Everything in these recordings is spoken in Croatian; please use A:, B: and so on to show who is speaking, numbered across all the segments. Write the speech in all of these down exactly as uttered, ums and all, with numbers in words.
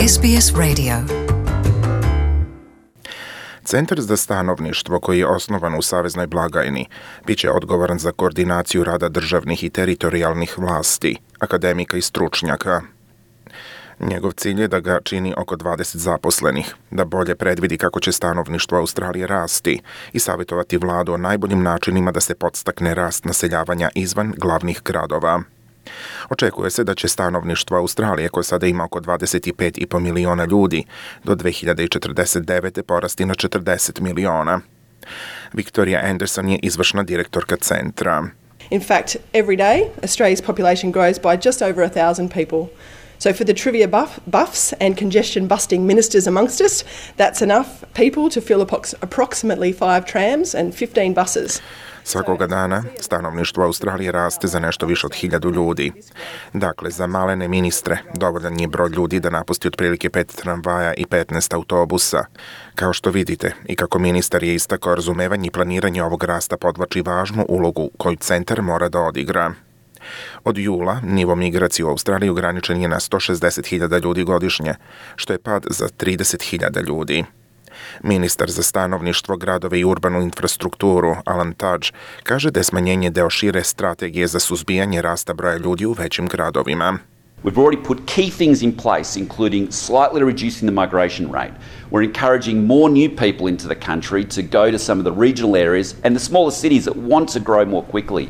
A: S B S Radio.
B: Centar za stanovništvo, koji je osnovan u Saveznoj blagajni, bit će odgovoran za koordinaciju rada državnih i teritorijalnih vlasti, akademika i stručnjaka. Njegov cilj je da ga čini oko dvadeset zaposlenih, da bolje predvidi kako će stanovništvo Australije rasti i savjetovati vladu o najboljim načinima da se podstakne rast naseljavanja izvan glavnih gradova. Očekuje se da će stanovništvo Australije, koje sada ima oko dvadeset pet i po miliona ljudi, do dve hiljade četrdeset devete porasti na četrdeset miliona. Victoria Anderson je izvršna direktorka centra.
C: In fact, every day Australia's population grows by just over a thousand people. So for the trivia buff, buffs and congestion busting ministers amongst us, that's enough people to fill approx- approximately five trams and fifteen buses.
B: Svakoga dana stanovništvo Australije raste za nešto više od hiljadu ljudi. Dakle, za malene ministre dovoljan je broj ljudi da napusti otprilike pet tramvaja i petnaest autobusa. Kao što vidite, i kako ministar je istakao, razumevanje i planiranje ovog rasta podvlači važnu ulogu koju centar mora da odigra. Od jula nivo migracije u Australiji ograničen je na sto šezdeset hiljada ljudi godišnje, što je pad za trideset hiljada ljudi. Ministar za stanovništvo, gradove i urbanu infrastrukturu, Alan Tudge, kaže da je smanjenje deo šire strategije za suzbijanje rasta broja ljudi u većim gradovima.
D: We've already put key things in place, including slightly reducing the migration rate. We're encouraging more new people into the country to go to some of the regional areas and the smaller cities that want to grow more quickly.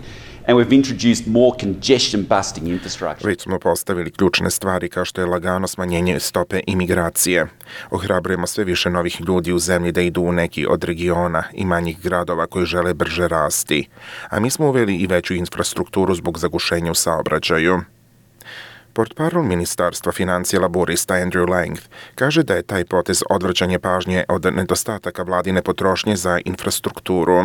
D: And we've introduced more congestion busting infrastructure.
B: Već smo postavili ključne stvari kao što je lagano smanjenje stope imigracije. Ohrabrujemo sve više novih ljudi u zemlji da idu u neki od regiona i manjih gradova koji žele brže rasti. A mi smo uveli i veću infrastrukturu zbog zagušenja u saobraćaju. Portparol Ministarstva financija laborista Andrew Lang kaže da je taj potez odvraćanje pažnje od nedostataka vladine potrošnje za infrastrukturu.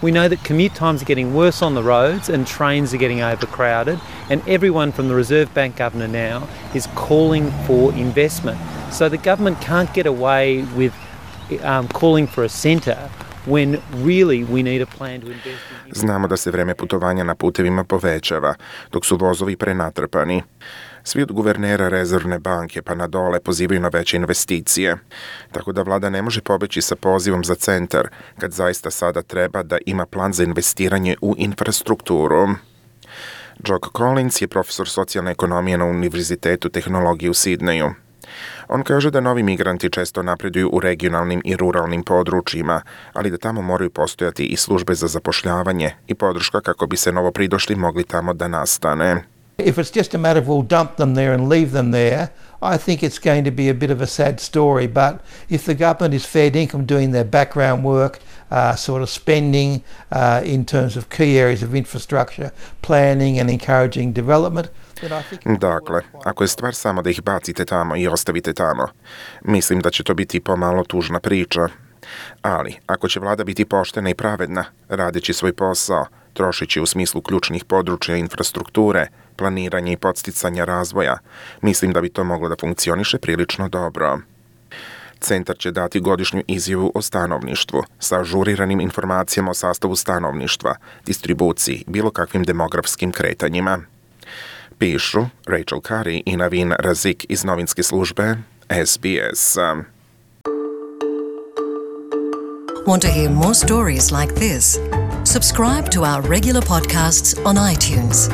E: We know that commute times are getting worse on the roads and trains are getting overcrowded, and everyone from the Reserve Bank governor now is calling for investment. So the government can't get away with um, calling for a centre when really we need a plan to invest in...
B: Znamo da se vreme putovanja na putevima povećava, dok su vozovi prenatrpani. Svi od guvernera Rezervne banke pa na dole pozivaju na veće investicije. Tako da vlada ne može pobeći sa pozivom za centar, kad zaista sada treba da ima plan za investiranje u infrastrukturu. Jock Collins je profesor socijalne ekonomije na Univerzitetu tehnologije u Sidneju. On kaže da novi migranti često napreduju u regionalnim i ruralnim područjima, ali da tamo moraju postojati i službe za zapošljavanje i podrška kako bi se novopridošli mogli tamo da nastane.
F: If it's just a matter of we'll dump them there and leave them there, I think it's going to be a bit of a sad story. But if the government is fair dinkum doing their background work, uh, sort of spending uh, in terms of key areas of infrastructure, planning and encouraging development, then I think...
B: Dakle, ako je stvar samo da ih bacite tamo i ostavite tamo, mislim da će to biti pomalo tužna priča. Ali, ako će vlada biti poštena i pravedna, radeći svoj posao, trošići u smislu ključnih područja infrastrukture, planiranja i podsticanja razvoja, mislim da bi to moglo da funkcioniše prilično dobro. Centar će dati godišnju izjavu o stanovništvu sa ažuriranim informacijama o sastavu stanovništva, distribuciji, bilo kakvim demografskim kretanjima. Pišu Rachel Curry i Navin Razik iz novinske službe S B S.
A: Want to hear more stories like this? Subscribe to our regular podcasts on iTunes.